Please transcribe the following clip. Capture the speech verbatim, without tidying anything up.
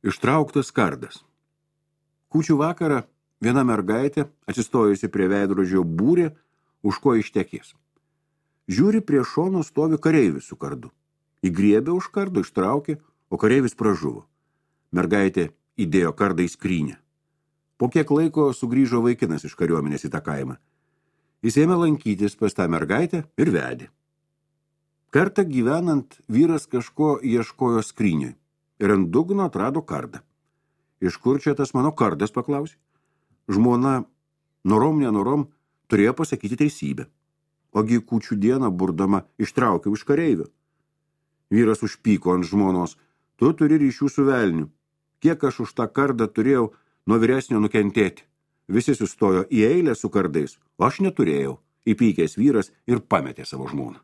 Ištrauktas kardas. Kūčių vakarą viena mergaitė, atsistojusi prie veidrodžio, būrė, už ko ištekės. Žiūri, prie šono stovi kareivis su kardu. Įgriebė už kardo, ištraukė, o kareivis pražuvo. Mergaitė įdėjo kardą į skrynę. Po kiek laiko sugrįžo vaikinas iš kariuomenės į tą kaimą. Jis ėmė lankytis pas tą mergaitę ir vedė. Kartą gyvenant, vyras kažko ieškojo skrynioj ir ant dugno atrado kardą. Iš kur čia tas mano kardas, paklausė? Žmona, norom nenorom, turėjo pasakyti teisybę. Ogi kūčių dieną burdama ištraukiau iš kareivio. Vyras užpyko ant žmonos. Tu turi ryšių su velniu. Kiek aš už tą kardą turėjau nuo vyresnio nukentėti. Visi sustojo į eilę su kardais, o aš neturėjau. Įpykęs vyras ir pametė savo žmoną.